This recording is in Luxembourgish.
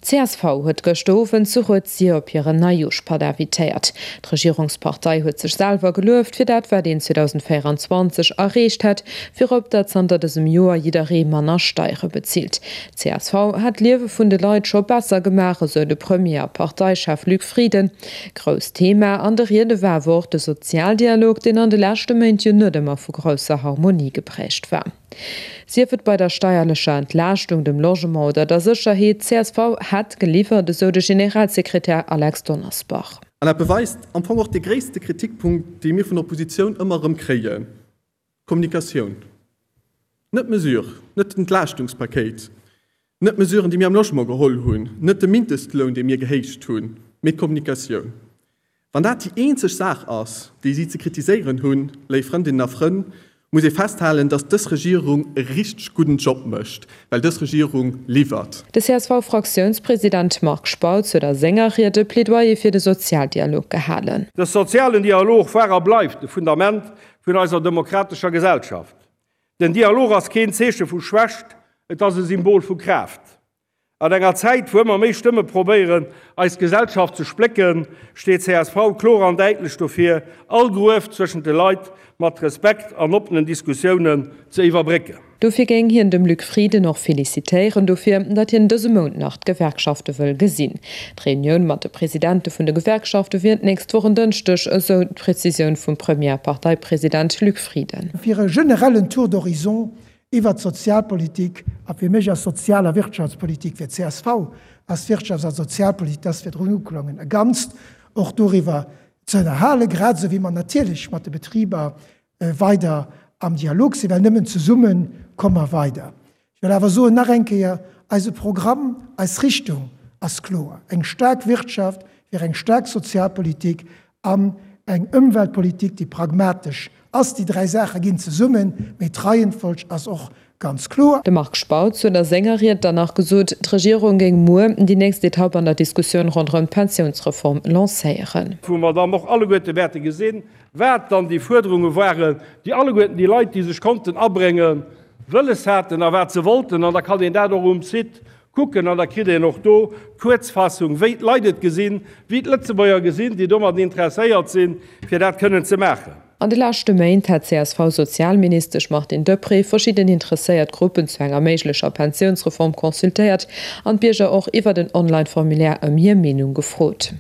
Csv huet gëschter Owend zu Rued-Sir op hiren Neijoerschpatt invitéiert. D'Regierungspartei huet sech selwer gelueft fir dat wat een 2024 erreecht hätt, virop datt zanter dësem Joer jidderee manner Steiere bezilt. Csv hätt d'Liewe vun de Leit scho besser gemaach, esou de Premier a Parteichef Luc Frieden. Grousst Thema an de Riede war awer och de Sozialdialog, deen an de leschte Méint jo net ëmmer vu grousser Harmonie geprägt war. Sief et bei der steierlecher Entlaaschtung, dem Logement oder der Sécherheet, csv hätt geliwwert, esou de Generalsekretär Alex Donnersbach. An dat beweist am Fong och dee gréisste Kritikpunkt, dee mir vun der Oppositioun ëmmer erëm kréien, d'Kommunikatioun. Net d'Mesure, net d'Entlaaschtungspakéit, net d'Mesuren, déi mir am Logement geholl hunn, net de Mindestloun, dee mir gehéicht hunn, mee d'Kommunikatioun. Wann dat déi eenzeg Saach ass, déi si ze kritiséieren hunn, léif Frëndinnen a Frënn, muss ee festhalen, dass dës Regierung e richteg gudden Job mécht, well dës Regierung liwwert. De CSV-Fraktiounspresident Marc Spautz huet a senger Ried e Plädoyer fir de Sozialdialog gehalen. De sozialen Dialog war a bleift e Fundament vun eiser demokratescher Gesellschaft. Den Dialog ass keen Zeeche vu Schwächt, et ass e Symbol vu Kraaft. An enger Zäit, wou ëmmer méi Stëmme probéieren, eis Gesellschaft ze splécken, steet csv kloer an däitlech dofir, all Gruef zwëschent de Leit mat Respekt an oppenen Diskussiounen ze iwwerbrécken. Dofir géing hien dem Luc Frieden och felicitéieren dofir, datt hien dëse Mount nach d'Gewerkschafte wëll gesinn. D'Reunioun mat de Presidente vun de Gewerkschafte wier d'nächst Woch en Dënschdeg, esou d'Prezisioun vum Premier a Parteipresident Luc Frieden. Fir e generellen Tour d'horizon Iwwert d'Sozialpolitik, a fir mech ass Sozial a Wirtschaftspolitik, fir csv ass Wirtschafts a Sozialpolitik, dat ass virdrun uklongen, e Ganzt, och doriwwer ze ënnerhalen, grad esou wéi mer natierlech mat de Betriber weider am Dialog sinn, well nëmmen zesumme komme mer weider. Ech wëll awer soen, nach eng Kéier, eise Programm, eis Richtung ass kloer, eng staark Wirtschaft fir eng staark Sozialpolitik an eng Ëmweltpolitik, déi pragmatesch ass. Déi dräi Saache ginn zesummen, mee d'Reihenfolg ass och ganz kloer. De Marc Spautz huet a senger Ried dann nach gesot, d'Regierung géing muer déi nächst Etapp an der Diskussioun ronderëm d'Pensiounsreform lancéieren. Wou mer dann och alleguerte wäerte gesinn, wat dann déi Fuerderunge waren, déi alleguerten déi Leit, déi sech konnten abréngen, wëlles haten a wat se wollten. An da kann een dat och um Site Kucken an da kritt een och do d'Kuerzfassung, wéi d'Leit et gesinn, wéi d'Lëtzebuerger gesinn, déi domat interesséiert sinn, fir dat kënnen ze maachen. An de leschte Méint hätt d'CSV-Sozialministesch Martine Deprez verschidden interesséiert Gruppen zu enger méiglecher Pensiounsreform consultéiert an d'Bierger och iwwert en Online-Formulaire ëm hir Meenung gefrot.